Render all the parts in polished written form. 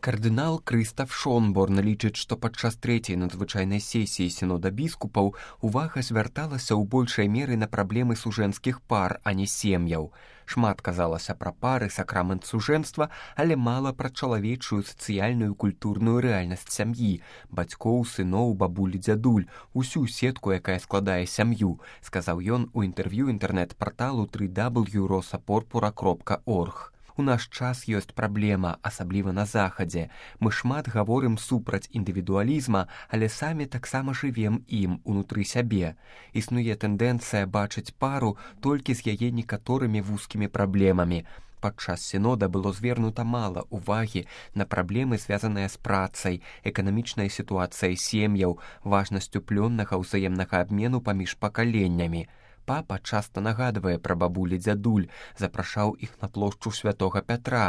Кардынал Крыстаф Шонборн лічыць, што падчас трэцяй надзвычайнай сесіі сінода біскупаў увага звярталася ў большай меры на праблемы сужэнскіх пар, а не сем'яў. Шмат казалася пра пары, сакрамент сужэнства, але мала пра чалавечую сацыяльную культурную рэальнасць сям'і, бацькоў, сыноў, бабуль, дзядуль, усю сетку, якая складае сям'ю, сказаў ён у інтэрв'ю інтэрнэт-парталу www.rosaporpora.org. У наш час ёсць праблема, асабліва на захадзе. Мы шмат гаворым супраць індывідуалізма, але самі таксама жывем ім унутры сябе. Існуе тэндэнцыя бачыць пару толькі з яе некаторымі вузкімі праблемамі. Падчас сінода было звернута мала ўвагі на праблемы, звязаныя з працай, эканамічнай сітуацыяй сем'яў, важнасцю плённага ўзаемнага абмену паміж пакаленнямі. Папа часта нагадвае пра бабулі дзядуль, запрашаў іх на плошчу святога Пятра.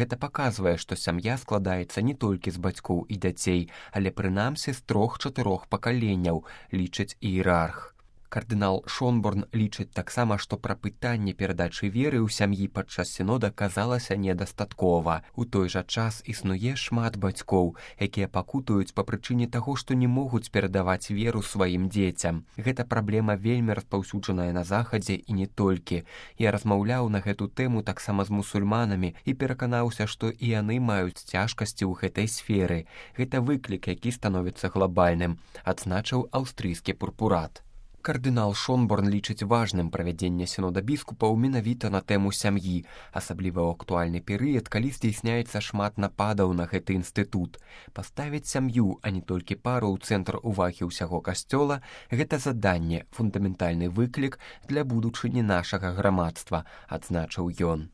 Гэта паказвае, што сям'я складаецца не толькі з бацькоў і дзяцей, але прынамсі з 3-4 пакаленняў, лічыць іерарх. Кардынал Шонборн лічыць таксама, што пра пытанне перадачы веры ў сям'і падчас сінода казалася недастаткова. У той жа час існуе шмат бацькоў, якія пакутуюць па прычыне таго, што не могуць перадаваць веру сваім дзецям. Гэта праблема вельмі распаўсюджаная на захадзе і не толькі. Я размаўляў на гэту тэму таксама з мусульманамі і пераканаўся, што і яны маюць цяжкасці ў гэтай сферы. Гэта выклік, які становіцца глобальным, адзначыў аўстрыйскі пурпурат. Кардынал Шонборн лічыць важным правядзенне сінода біскупаў менавіта на тэму сям'і, асабліва ў актуальны перыяд, калі здзяйсняецца шмат нападаў на гэты інстытут. Паставіць сям'ю, а не толькі пару ў цэнтр увагі ўсяго касцёла – гэта заданне, фундаментальны выклік для будучыні нашага грамадства, адзначыў ён.